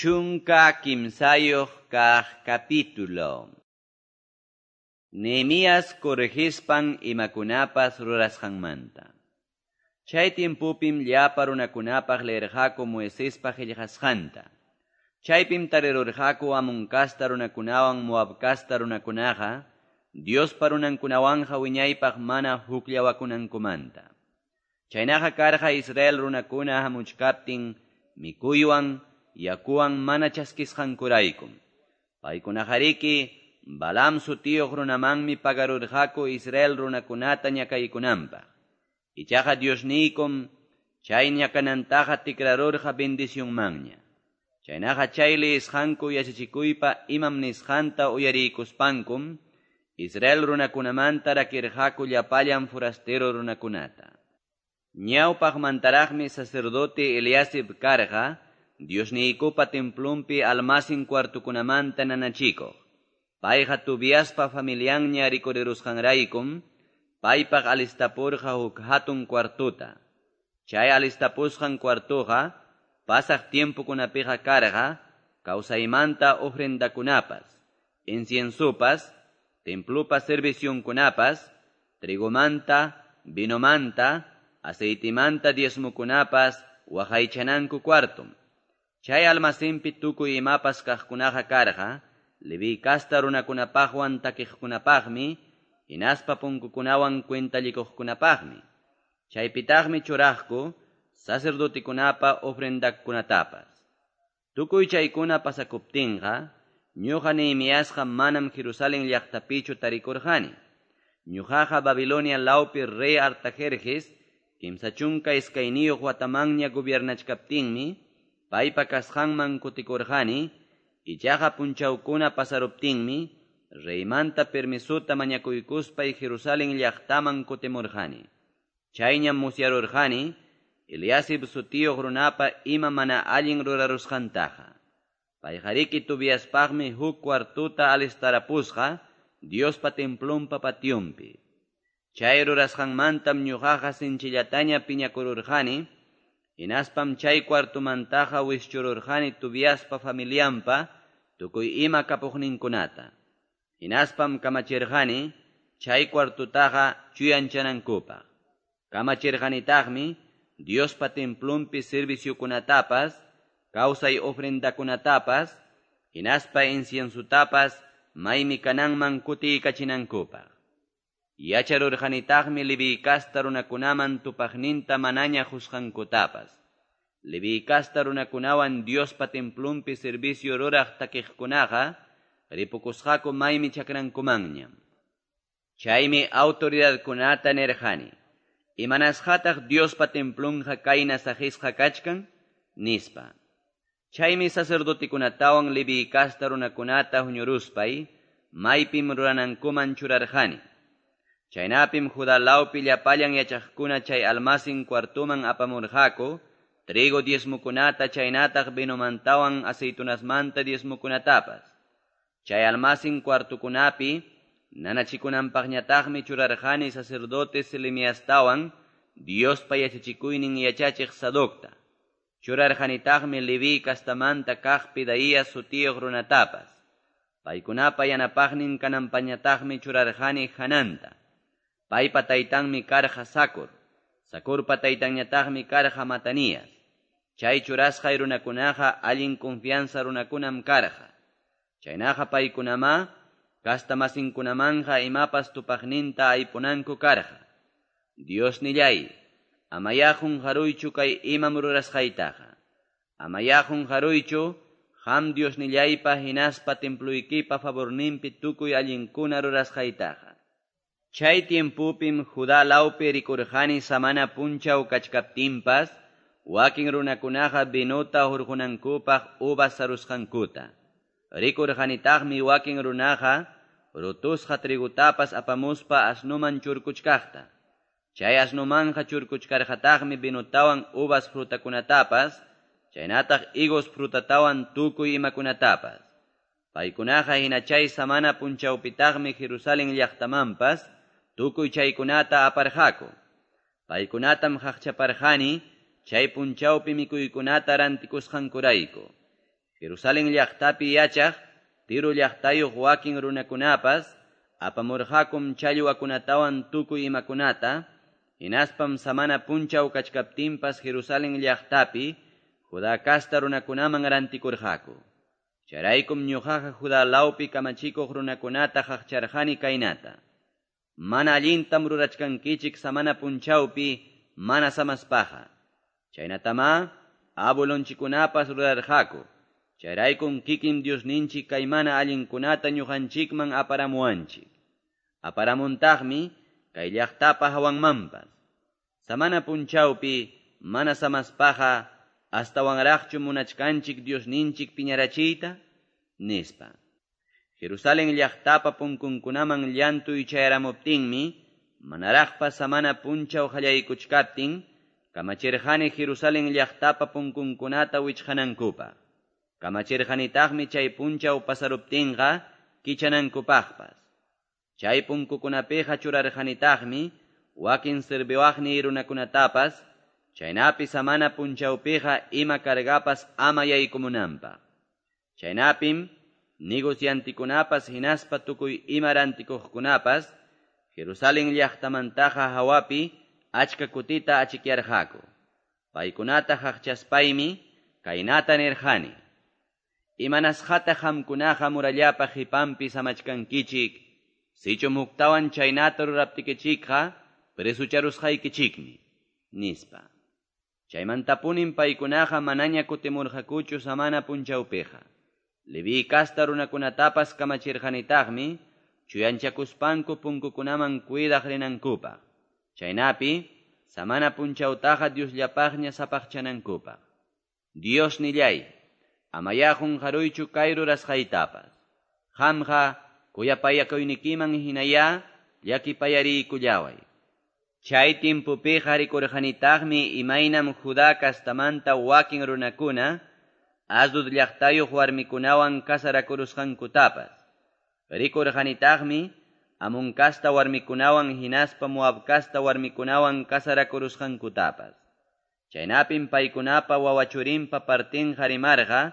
13 kaq capítulo. Nehemías corregispan imakunapas rurasqanmanta. Chay tiempopim llapa runakunapaq leerqaku Moisespa qillqasqanta. Chaypim tarirurqaku Amón kasta runakunawan Moab kasta runakunaqa Diospa runankunawanqa wiñaypaq mana hukllawakunankumanta. Chaynaqa karqa Israel runakuna hamuchkaptin mikuywan yakuwan mana chaskisqankuraykum. Paykunaqariki Balaam sutiyuq runamanmi pagarurqaku Israel runakunata ñakaykunanpaq. Ichaqa Diosniykum chay ñakanantaqa tikrarurqa bendicionmanña. Chaynaqa chay liyisqanku yachachikuypa imam nisqanta uyariykuspankum Israel runakunamanta rakirqaku llapallan forastero runakunata. Ñawpaqmantaraqmi sacerdote Eliasib karqa Diosniykupa templonpi almacén cuartukunamanta nanachikuq. Payqa Tobiaspa familianña rikurirusqanraykum paypaq alistapurqa huk hatun cuartuta. Chay alistapusqan cuartuqa pasaq tiempokunapiqa karqa kawsaymanta ofrendakunapas, inciensopas, templopa servicionkunapas, trigomanta, vinomanta, aceitimanta diezmokunapas waqaychananku cuartum. Chay almacenpi tukuy imapas kaqkunaqa karqa, Leví kasta runakunapaqwan takiqkunapaqmi, hinaspa punkukunawan cuentallikuqkunapaqmi. Chaypitaqmi churaqku sacerdotekunapa ofrendakunatapas. Tukuy chaykuna pasakuptinqa, ñuqa Nehemiasqa manam Jerusalén llaqtapichu tarikurqani. Ñuqaqa Babilonia lawpi rey Artajerjes, 32 watamanña gobiernachkaptinmi, paypa kasqanman kutikurqani, ichaqa punchawkuna pasaruptinmi, reymanta permisuta mañakuykuspay Jerusalén llaqtaman kutimurqani. Chayñam musyarurqani, Eliasib sutiyuq runapa ima mana allin rurarusqantaqa. Payqariki Tobiaspaqmi huk cuartuta alistarapusqa Diospa templonpa pationpi. Chay rurasqanmantam ñuqaqa sinchillataña piñakururqani, hinaspam chay cuartumantaqa wischururqani Tobiaspa familianpa tukuy ima kapuqninkunata. Hinaspam kamachirqani chay cuartutaqa chuyanchanankupaq. Kamachirqanitaqmi Diospa templonpi serviciokunatapas, kawsay ofrendakunatapas, hinaspa inciensutapas maymi kananman kutiykachinankupaq. Yacharurqanitaqmi Leví kasta runakunaman tupaqninta manaña qusqankutapas. Leví kasta runakunawan Diospa templonpi servicio ruraq takiqkunaqa ripukusqaku maymi chakrankumanña. Chaymi autoridadkunata nirqani: Imanasqataq Diospa templonqa kayna saqisqa kachkan? Nispa. Chaymi sacerdotekunatawan Leví kasta runakunata huñuruspay maypim ruranankuman churarqani. Chaynapim Judá lawpi llapallan yachaqkuna chay almacén cuartuman apamurqaku trigo diezmokunata chaynataq vinomantawan aceitunasmanta diezmokunatapas. Chay almacén cuartukunapi nanachikunanpaqñataqmi churarqani sacerdote Selemiastawan Diospa yachachikuynin yachachiq Sadocta. Churarqanitaqmi Leví kastamanta kaq Pedaías sutiyuq runatapas. Paykunapa yanapaqnin kananpañataqmi churarqani Hananta. Paypa taytanmi karqa Zacur. Zacurpa taytanñataqmi karqa Matanías. Chay churasqay runakunaqa allin confianza runakunam karqa. Chaynaqa paykunama kastamasinkunamanqa imapas tupaqninta aypunanku karqa. Diosnillay, amayá qunqaruychu kay imam rurasqaytaqa. Amayá qunqaruychu qam Diosnillaypa hinaspa temploykipa favorninpi tukuy allinkuna rurasqaytaqa. Chay tiempopim Judá lawpi rikurqani samana punchaw kachkaptinpas, wakin runakunaqa vinota hurqunankupaq uvas sarusqankuta. Rikurqanitaqmi wakin runaqa rutusqa trigutapas apamuspa asnuman churkuchkaqta. Chay asnumanqa churkuchkarqataqmi vinotawan uvas frutakunatapas, chaynataq higos frutatawan tukuy imakunatapas. Paykunaqa hina chay samana punchawpitaqmi Jerusalén llaqtamanpas tukuy chaykunata aparqaku. Paykunatam qaqchaparqani chay punchawpi mikuykunata rantikusqankurayku. Jerusalen llaqtapi yachaq Tiro llaqtayuq wakin runakunapas apamurqakum challwakunatawan tukuy imakunata, hinaspam samana punchaw kachkaptinpas Jerusalen llaqtapi Judá casta runakunaman rantikurqaku. Chayraykum ñuqaqa Judá lawpi kamachikuq runakunata qaqcharqani kaynata: Mana allintam rurachkankichik samana punchawpi mana samaspaqa. Chaynatamá abuelonchikkunapas rurarqaku. Chayraykum kikin Diosninchik kay mana allinkunata ñuqanchikman aparamuwanchik. Aparamuntaqmi kay llaqtapa hawanmanpas. Samana punchawpi mana samaspaqa astawanraqchu munachkanchik Diosninchik piñarachiyta, nispa. Jerusalen llaqtapa punkunkunaman llantuy chayaramuptinmi, manaraqpas samana punchaw qallaykuchkaptin, kamachirqani Jerusalen llaqtapa punkunkunata wichqanankupaq. Kamachirqanitaqmi chay punchaw pasaruptinqa kichanankupaqpas. Chay punkukunapiqa churarqanitaqmi wakin serviwaqniy runakunatapas, chaynapi samana punchawpiqa ima cargapas ama yaykumunanpaq. Chaynapim negociantikunapas hinaspa tukuy ima rantikuqkunapas Jerusalen llaqtamantaqa hawapi achka kutita achikyarqaku. Paykunata qaqchaspaymi kaynata nirqani: Imanasqataq qamkunaqa murallapa qipanpi samachkankichik, sichum huktawan chaynata ruraptikichikqa presucharusqaykichikmi, nispa. Chaymantapunim paykunaqa manaña kutimurqakuchu samana punchawpiqa. Leví casta runakunatapas kamachirqanitaqmi chuyanchakuspanku punkukunaman cuidaq rinankupaq. Chaynapi samana punchawtaqa Diosllapaqña sapaqchanankupaq. Dios nillay, amayá qunqaruychu kay rurasqaytapas. Qamqa kuyapayakuynikiman hinayá llakipayariykullaway. Chay timpupiqa rikurqanitaqmi imaynam Judá castamanta wakin runakuna Asdod llaqtayuq warmikunawan kasarakurusqankutapas. Rikurqanitaqmi Amón casta warmikunawan hinaspa Moab casta warmikunawan kasarakurusqankutapas. Chaynapim paykunapa wawachurinpa partinqa rimarqa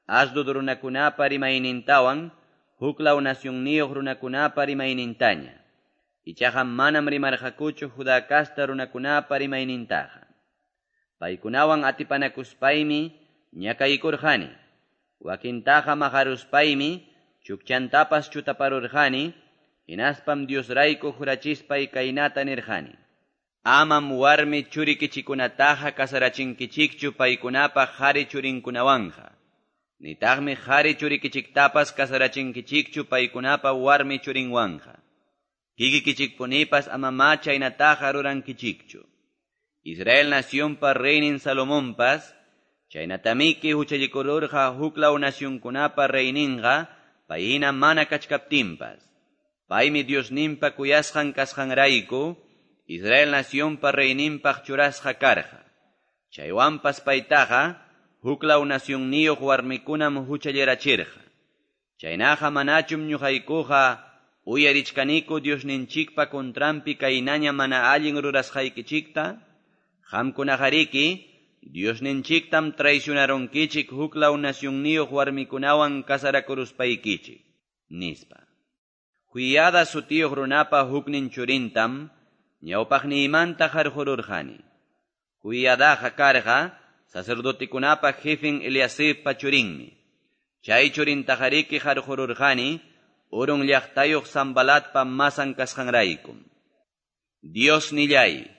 Asdod runakunapa rimaynintawan huklaw nacionniyuq runakunapa rimaynintaña. Ichaqa manam rimarqakuchu Judá casta runakunapa rimaynintaqa. Paykunawan atipanakuspaymi ñakaykurqani. Wakintaqa maqaruspaymi chukchantapas chutaparurqani, hinaspam Diosrayku jurachispay kaynata nirqani: Amam warmi churikichikunataqa kasarachinkichikchu paykunapa qhari churinkunawanqa. Nitaqmi qhari churikichiktapas kasarachinkichikchu paykunapa warmi churinwanqa. Kikikichikpunipas amamá chaynataqa rurankichikchu. Israel nacionpa reynin Salomonpas chaynatamiki huchallikururqa huklaw nacionkunapa reyninqa payhina mana kachkaptinpas. Paymi Diosninpa kuyasqan kasqanrayku Israel nacionpa reyninpaq churasqa karqa. Chaywanpas paytaqa huklaw nacionniyuq warmikunam huchallirachirqa. Chaynaqa manachum ñuqaykuqa uyarichkaniku Diosninchikpa contranpi kaynaña mana allin rurasqaykichikta? Qamkunaqariki Diosninchiktam traicionarunkichik huklaw nacionniyuq warmikunawan kasarakuruspaykichik, nispa. Joiada sutiyuq runapa huknin churintam ñawpaqniymanta qarqururqani. Joiadaqa karqa sacerdotekunapa jefen Eliasibpa churinmi. Chay churintaqariki qarqururqani Urun llaqtayuq Sanbalatpa masan kasqanraykum. Dios nillay,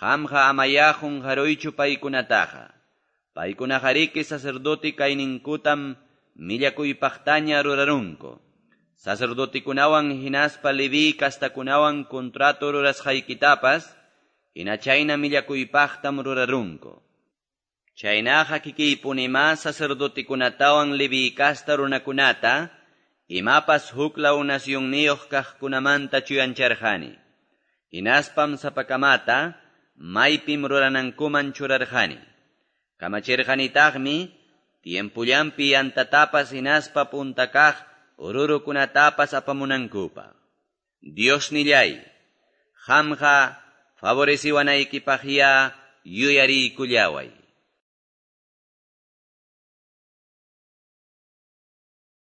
qamqa amayá qunqaruychu paykunataqa. Paykunaqariki sacerdote kayninkutam millakuypaqtaña rurarunku. Sacerdotekunawan hinaspa Leví castakunawan contrato rurasqaykitapas, hina chayna millakuypaqtam rurarunku. Chaynaqa kikiypunimá sacerdotekunatawan Leví casta runakunata, imapas huklaw nacionniyuq kaqkunamanta chuyancharqani. Hinaspam sapakamata maypim ruranankuman churarqani. Kamachirqanitaqmi tiempullanpi yantatapas hinaspa punta kaq ururukunatapas apamunankupaq. Dios nillay, qamqa favoreciwanaykipaqyá yuyariykullaway.